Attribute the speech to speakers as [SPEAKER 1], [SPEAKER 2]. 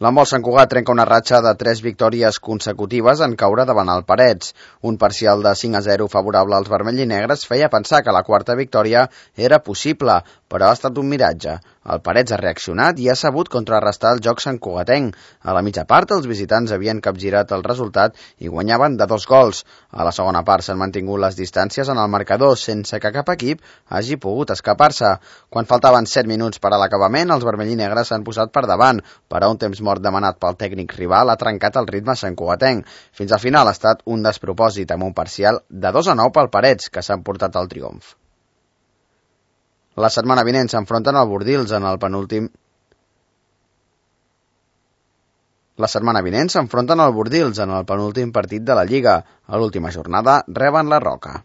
[SPEAKER 1] L'handbol Sant Cugat trenca una ratxa de 3 victòries consecutives en caure davant el Parets. Un parcial de 5-0 favorable als vermells i negres feia pensar que la quarta victòria era possible, però ha estat un miratge. El Parets ha reaccionat i ha sabut contrarrestar el joc santcugatenc. A la mitja part, els visitants havien capgirat el resultat i guanyaven de 2 gols. A la segona part s'han mantingut les distàncies en el marcador, sense que cap equip hagi pogut escapar-se. Quan faltaven 7 minuts per a l'acabament, els vermells i negres s'han posat per davant, però un temps mort demanat pel tècnic rival ha trencat el ritme santcugatenc. Fins al final ha estat un despropòsit amb un parcial de 2-9 pel Parets, que s'han portat el triomf. La setmana vinent s'enfronten al Bordils en el penúltim... La setmana vinent s'enfronten al Bordils en el penúltim partit de la Lliga. A l'última jornada reben la Roca.